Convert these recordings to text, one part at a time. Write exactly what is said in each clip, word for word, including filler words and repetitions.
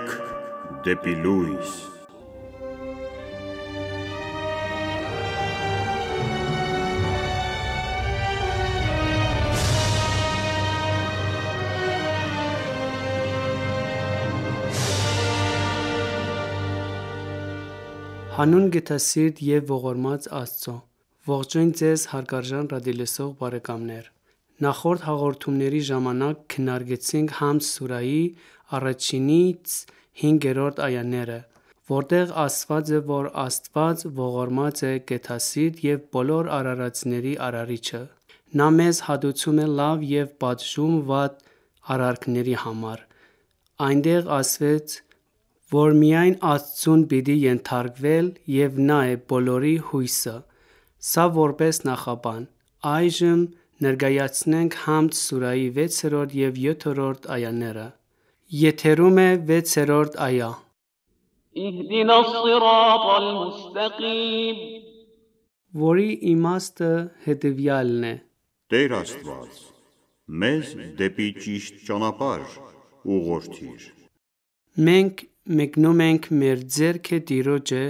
ենք դեպի լույս։ Հանուն գթասիրտ և ողորմած Աստծո, ողջույն ձեզ հարգարժան ռադիոլսող բարեկամներ։ Նախորդ հաղորդումների ժամանակ քննարկեցինք Համդ սուրահի առաջինից հինգերորդ այաները, որտեղ ասված է, որ Աստված ողորմած է, գթասիրտ և բոլոր արարածների արարիչը։ Նա մեզ հատուցում է լավ և պատժում վատ արարքների համար։ Այնտեղ ասվեց, որ միայն Աստծուն պիտի ենթարկվել և Նա է բոլորի հույսը։ Սա որպես նախաբան։ Այժմ ներկայացնենք Համդ սուրահի վեցերորդ և յոթերորդ այաները։ Եթերում է վեցերորդ այա։ اهدنا الصراط المستقيم Որի իմաստը հետևյալն է. Տեր Աստված, մեզ դեպի ճիշտ ճանապարհ ուղղորդիր։ Մենք մեկնում ենք մեր ձեռքը Տիրոջը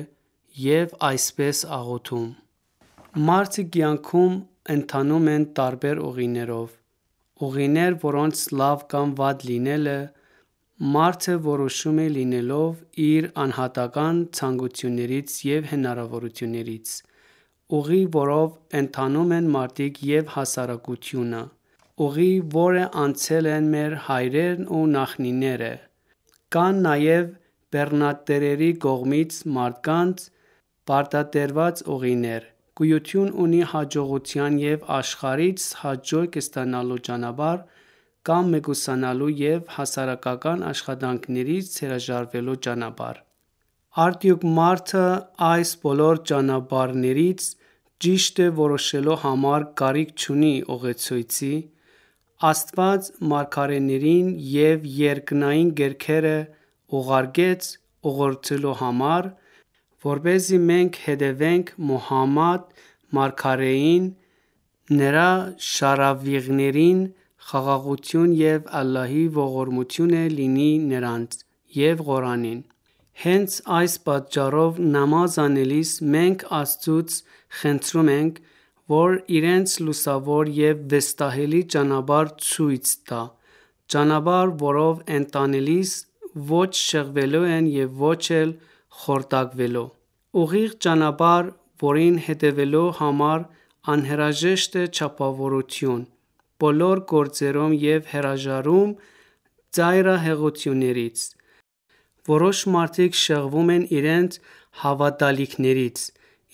և այսպես աղոթում. Մարդը կյանքում ընթանում են տարբեր ուղիներով։ Ուղիներ, որոնց լավ կամ վատ լինելը մարդը որոշում է լինելով իր անհատական ցանկություններից և հնարավորություններից։ Ուղի, որով ընթանում են մարդիկ և հասարակությունը։ Ուղի, որը անցել են մեր հայրերն ու նախնիները։ Կան նաև բեռնատերերի կողմից մարդկանց պարտադրված ուղիներ։ Գոյություն ունի հաջողության և աշխարհից հաջորդ ստանալու ճանապարհ կամ մեկուսանալու և հասարակական աշխատանքներից հրաժարվելու ճանապարհ։ Արդյոք մարդը այս բոլոր ճանապարհներից ճիշտը որոշելու համար կարիք չունի ուղեցույցի։ Աստված մարգարեներին և երկնային գրքերը ուղարկեց ուղղորդելու համար, որպեսզի մենք հետևենք Մուհամմադ մարգարեին, նրա շարավիղներին, խաղաղություն և Ալլահի ողորմությունը լինի նրանց, և Ղուրանին։ Հենց այս պատճառով նամազ անելիս մենք Աստծուց խնդրում ենք, որ իրենց լուսավոր և վստահելի ճանապարհ ցույց տա, ճանապարհ, որով ընթանելիս ոչ շեղվելու են և ոչ էլ խորտակվելու։ Ուղիղ ճանապարհ, որին հետևելու համար անհրաժեշտ է չափավորություն բոլոր գործերում և հրաժարում ծայրահեղություններից։ Որոշ մարդիկ շեղվում են իրենց հավատալիքներից,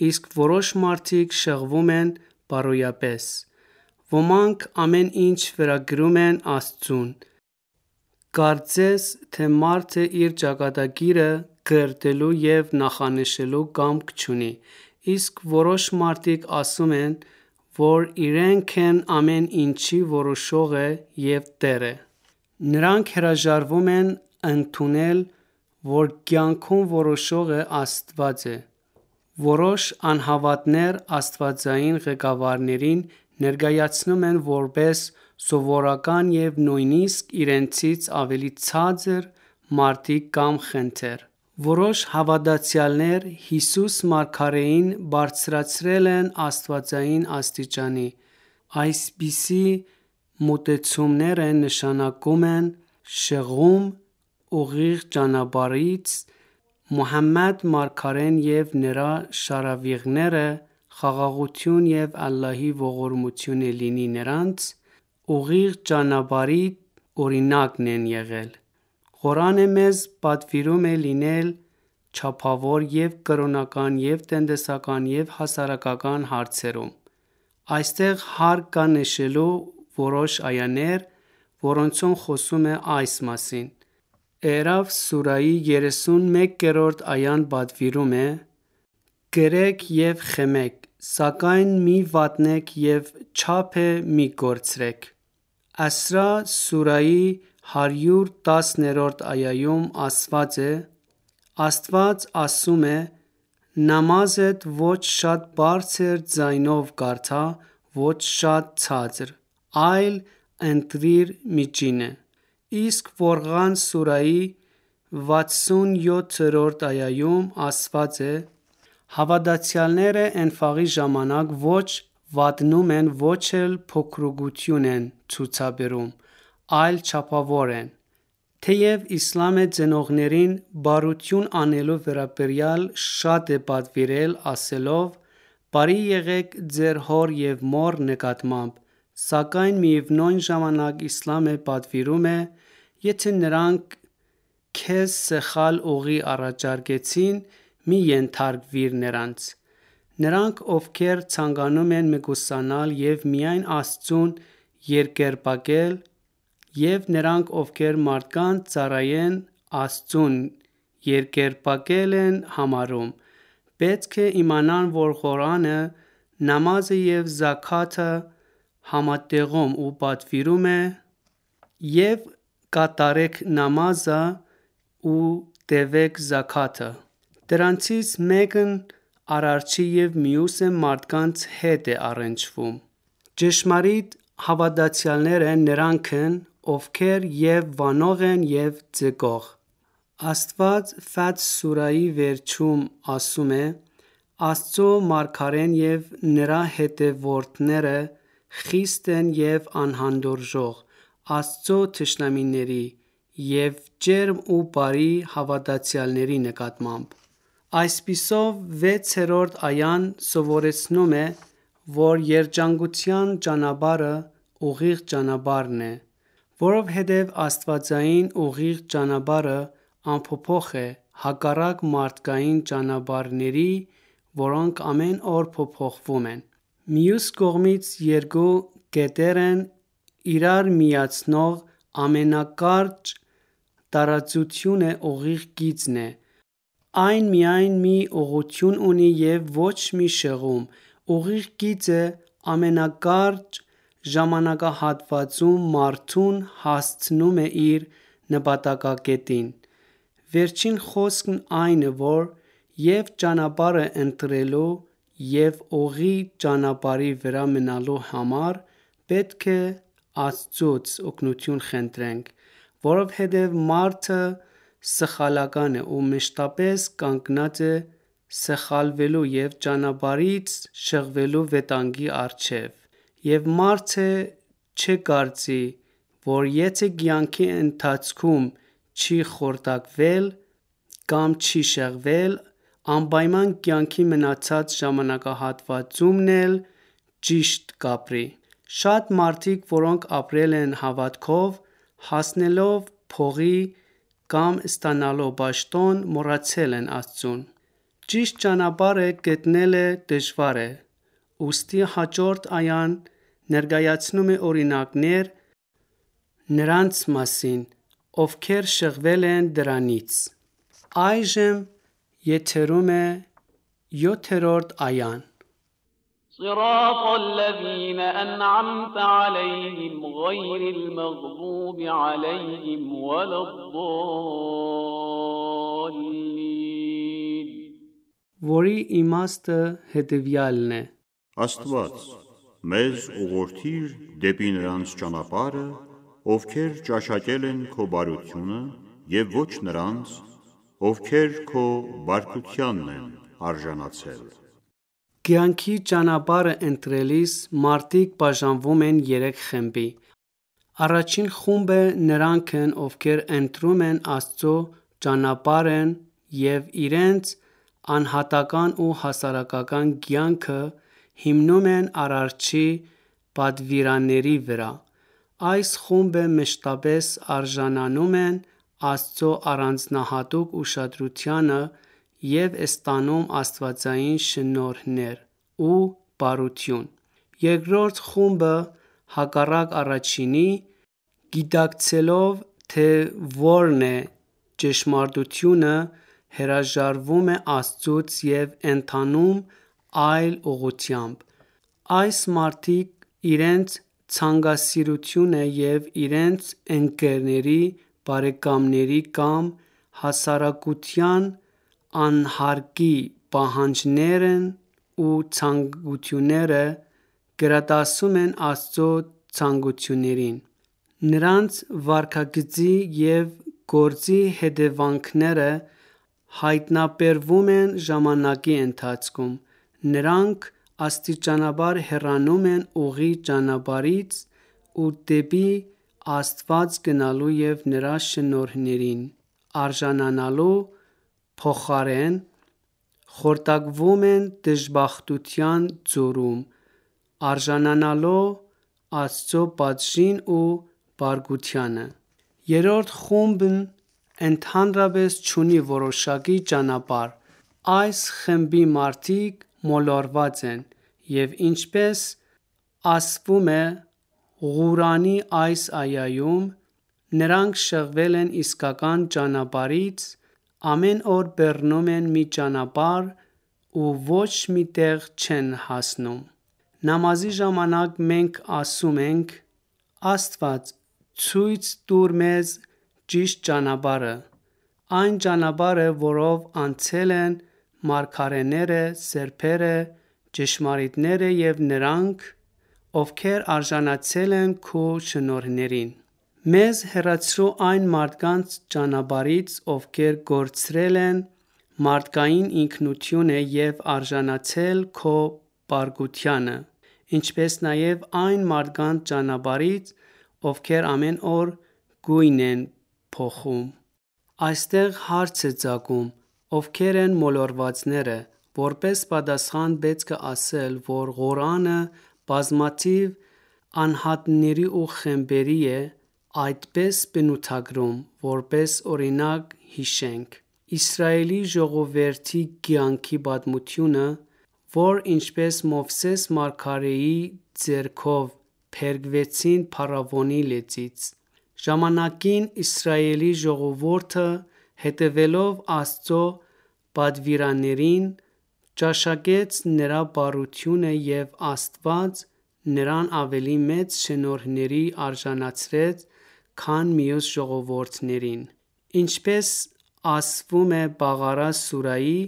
իսկ որոշ մարդիկ շեղվում են բարոյապես։ Ոմանք ամեն ինչ վերագրում են Աստծուն։ Կարծես թե մարդը իր ճակատագիրը կրտելու և նախանշելու կամք չունի, իսկ որոշ մարդիկ ասում են, որ իրենք են ամեն ինչի որոշողը և տերը։ Նրանք հրաժարվում են ընդունել, որ կյանքում որոշողը Աստված է։ Որոշ անհավատներ աստվածային ղեկավարներին ներկայացնում են որպես սովորական և նույնիսկ իրենցից ավելի ցածր մարդիկ կամ խնդեր։ Որոշ հավատացյալներ Հիսուս մարգարեին բարձրացրել են աստվածային աստիճանի։ Այսպիսի մոտեցումները նշանակում են շեղում ուղիղ ճանապարհից։ Մուհամմադ մարգարեն և նրա շարավիղները, խաղաղություն և Ալլահի ողորմությունը լինի նրանց, ուղիղ ճանապարհի օրինակն են եղել։ Ղուրանը մեզ պատվիրում է լինել չափավոր և կրոնական և տնտեսական և հասարակական հարցերում։ Այստեղ հարկ կա նշելու որոշ այաներ, որոնցում խոսվում է այս մասին։ Էրաֆ սուրահի երեսունմեկերորդ այան պատվիրում է. «Կրեք և խմեք, սակայն մի վատնեք և չափը մի կորցրեք»։ Ասրա սուրահի հարյուր տասներորդ այայում ասված է. Աստված ասում է. «Նամազդ ոչ շատ բարձր ձայնով կարդա, ոչ շատ ցածր, այլ ընտրիր միջինը»։ Իսկ Ֆորղան սուրահի վաթսունյոթերորդ այայում ասված է. «Հավատացյալները Էնֆաղի ժամանակ ոչ վատնում են, ոչ էլ փոքրուկություն են ցուցաբերում, այլ չափավոր են»։ Թեև իսլամը ծնողներին բարություն անելու վերաբերյալ շատ է պատվիրել, ասելով. «Բարի եղեք ձեր հոր և մոր նկատմամբ», սակայն միևնույն ժամանակ իսլամը պատվիրում է. «Եթե նրանք քեզ սխալ ուղի առաջարկեցին, մի ենթարկվիր նրանց»։ Նրանք, ովքեր ցանկանում են մեկուսանալ և միայն Աստծուն երկրպագել, և նրանք, ովքեր մարդկանց ծառայեն, Աստծուն երկրպագել են համարում, պետք է իմանան, որ Ղուրանը նամազը և զաքաթը համատեղում ու պատվիրում է. «Եվ կատարեք նամազը ու տևեք զաքաթը»։ Դրանցից մեկն Արարչի և մյուսը մարդկանց հետ է առնչվում։ Ճշմարիտ հավատացյալները նրանք են, ովքեր և՛ վանող են, և՛ ձգող։ Աստված Ֆաթհ սուրահի վերջում ասում է. «Աստծու մարգարեն և նրա հետևորդները խիստ են և անհանդուրժող Աստծու թշնամիների և ջերմ ու բարի հավատացյալների նկատմամբ»։ Այսպիսով, վեցերորդ այան սովորեցնում է, որ երջանկության ճանապարհը ուղիղ ճանապարհն է, որովհետև աստվածային ուղիղ ճանապարհը անփոփոխ է, հակառակ մարդկային ճանապարհների, որոնք ամեն օր փոփոխվում են։ Մյուս կողմից, երկու կետեր իրար միացնող ամենակարճ տարածությունը ուղիղ գիծն է։ Այն միայն մի ուղղություն ունի և ոչ մի շեղում։ Ուղիղ գիծը ամենակարճ ժամանակահատվածում մարդուն հասցնում է իր նպատակակետին։ Վերջին խոսքն այն է, որ և՛ ճանապարհը ընտրելու, և՛ ուղիղ ճանապարհի վրա մնալու համար պետք է Աստծուց օգնություն խնդրենք, որովհետև մարդը սխալական է ու մշտապես կանգնած է սխալվելու և ճանապարհից շեղվելու վտանգի առջև։ Եվ մարդը չկարծի, որ եթե կյանքի ընթացքում չի խորտակվել կամ չի շեղվել, անպայման կյանքի մնացած ժամանակահատվածումն էլ ճիշտ կապրի։ Շատ մարդիկ, որոնք ապրել են հավատքով, հասնելով փողի կամ ստանալով պաշտոն, մոռացել են Աստծուն։ Ճիշտ ճանապարհը գտնելը դժվար է, ուստի հաջորդ այան ներկայացնում է օրինակներ նրանց մասին, ովքեր շեղվել են դրանից։ Այժմ եթերում է յոթերորդ այան։ صراط الذين أنعمت عليهم غير المغضوب عليهم ولا الضالين Որի իմաստը հետևյալն է. Աստված, մեզ ուղղորդիր դեպի նրանց ճանապարհը, ովքեր ճաշակել են քո բարությունը, և ոչ նրանց, ովքեր քո բարկությանն են արժանացել։ Կյանքի ճանապարհը ընտրելիս մարդիկ բաժանվում են երեք խմբի։ Առաջին խումբը նրանք են, ովքեր ընտրում են Աստծու ճանապարհն և իրենց անհատական ու հասարակական կյանքը հիմնում են Արարչի պատվիրանների վրա։ Այս խումբը մշտապես արժանանում են Աստծու առանձնահատուկ ուշադրությանը և ստանում աստվածային շնորհներ ու բարություն։ Երկրորդ խումբը, հակառակ առաջինի, գիտակցելով, թե որն է ճշմարտությունը, հրաժարվում է Աստծուց և ընթանում այլ ուղղությամբ։ Այս մարդիկ իրենց ցանկասիրությունը և իրենց ընկերների, բարեկամների կամ հասարակության անհարկի պահանջներն ու ցանկությունները գերադասում են Աստծու ցանկություններին։ Նրանց վարքագծի և գործի հետևանքները հայտնաբերվում են ժամանակի ընթացքում։ Նրանք աստիճանաբար հեռանում են ուղիղ ճանապարհից ու դեպի Աստված գնալու և Նրա շնորհներին արժանանալու փոխարեն խորտակվում են դժբախտության ձորում, արժանանալով Աստծո պատժին ու բարկությանը։ Երրորդ խումբն ընդհանրապես չունի որոշակի ճանապարհ։ Այս խմբի մարդիկ մոլորված են, և ինչպես ասվում է Ղուրանի այս այայում, նրանք շեղվել են իսկական ճանապարհից, ամեն օր բռնում են մի ճանապարհ ու ոչ մի տեղ չեն հասնում։ Նամազի ժամանակ մենք ասում ենք. «Աստված ցույց տուր մեզ ճիշտ ճանապարհը, այն ճանապարհը, որով անցել են մարգարեները, սրբերը, ճշմարիտները և նրանք, ովքեր արժանացել են քո շնորհներին: Մեզ հեռացրու այն մարդկանց ճանապարհից, ովքեր կորցրել են մարդկային ինքնությունը և արժանացել քո բարկությանը, ինչպես նաև այն մարդկանց ճանապարհից, ովքեր ամեն օր գույն են փոխում»։ Այստեղ հարց է ծագում. ովքեր են մոլորվածները։ Որպես պատասխան պետք է ասել, որ Ղուրանը բազմաթիվ անհատների ու խմբերի է այդպես բնութագրում, որպես օրինակ հիշենք. Իսրայելի ժողովրդի կյանքի պատմությունը, որ ինչպես Մովսես մարգարեի ձեռքով փրկվեցին փարավոնի լեզվից։ Ժամանակին Իսրայելի ժողովուրդը, հետևելով Աստծո պատվիրաններին, ճաշակեց Նրա բարությունը և Աստված նրան ավելի մեծ շնորհների արժանացրեց, քան մյուս ժողովուրդներին։ Ինչպես ասվում է Բաղարա սուրահի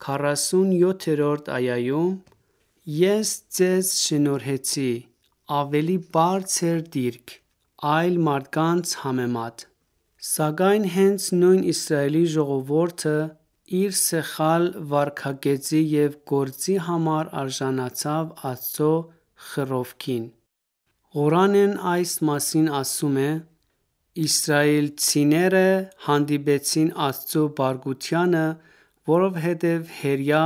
քառասունյոթերորդ այայում. «Ես ձեզ շնորհեցի ավելի բարձր դիրք, այլ մարդկանց համեմատ»։ Սակայն հենց նույն Իսրայելի ժողովուրդը իր սխալ վարքագծի և գործի համար արժանացավ Աստծո խռովքին։ Ղուրանն այս մասին ասում է. «Իսրայելցիները հանդիպեցին Աստծո բարկությանը, որովհետև հրեա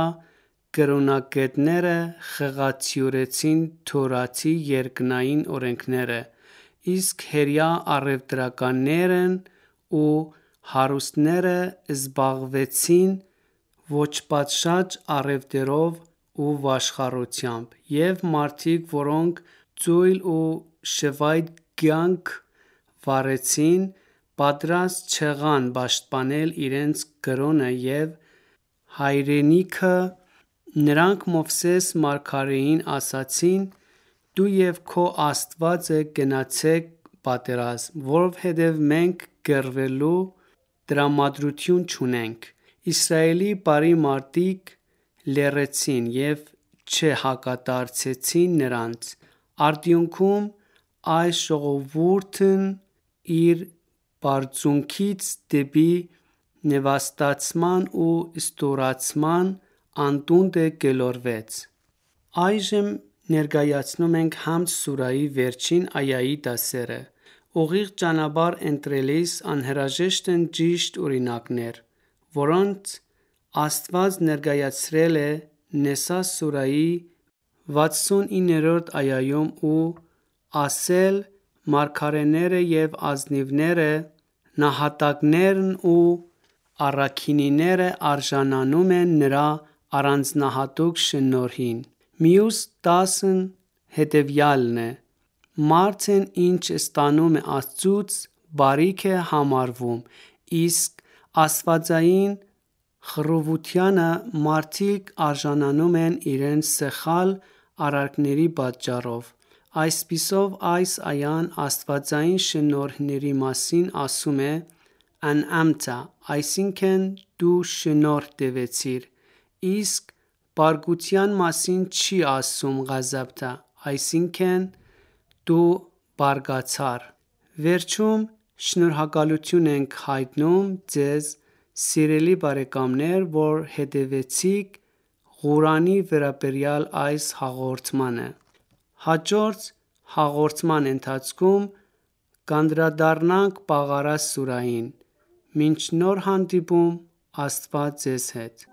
կրոնագետները խղաթյուրեցին Թորրաթի երկնային օրենքները, իսկ հրեա առևտրականներն ու հարուստները զբաղվեցին ոչպատշաճ առևտրով ու վաշխառությամբ, և մարդիկ, որոնք ծույլ ու շվայտ կյանք վարեցին, պատրաստ չեղան պաշտպանել իրենց կրոնը և հայրենիքը: Նրանք Մովսես մարգարեին ասացին. «Դու և քո Աստվածը գնացեք պատերազմ, որովհետև մենք կռվելու տրամադրություն չունենք»։ Իսրայելի բարի մարդիկ լռեցին և չհակադարձեցին նրանց։ Արդյունքում այս ժողովուրդն իր բարձունքից դեպի նվաստացման ու ստորացման անդունդը գլորվեց։ Այժմ ներկայացնում ենք Համդ սուրահի վերջին այայի դասերը։ Ուղիղ ճանապարհ ընտրելիս անհրաժեշտ են ճիշտ օրինակներ, որոնց Աստված ներկայացրել է Նեսա սուրահի վաթսունիններորդ այայում ու ասել. «Մարգարեները և ազնիվները, նահատակներն ու առաքինիները արժանանում են Նրա առանձնահատուկ շնորհին»։ Մյուս դասն հետևյալն է. Մարդն ինչ ստանում է Աստծուց, բարիք է համարվում, իսկ աստվածային խռովությանը մարդիկ արժանանում են իրենց սխալ արարքների պատճառով։ Այսպիսով, այս այան աստվածային շնորհների մասին ասում է. «Ան'ամթ», այսինքն՝ դու շնորհ տվեցիր, իսկ բարկության մասին չի ասում Ղազաբթ, այսինքն՝ դու բարկացար: Վերջում Շնորհակալություն ենք հայտնում ձեզ, սիրելի բարեկամներ, որ հետևեցիք Ղուրանի վերաբերյալ այս հաղորդմանը։ Հաջորդ հաղորդման ընթացքում կանդրադառնանք Բաղարա սուրահին։ Մինչ նոր հանդիպում, Աստված ձեզ հետ։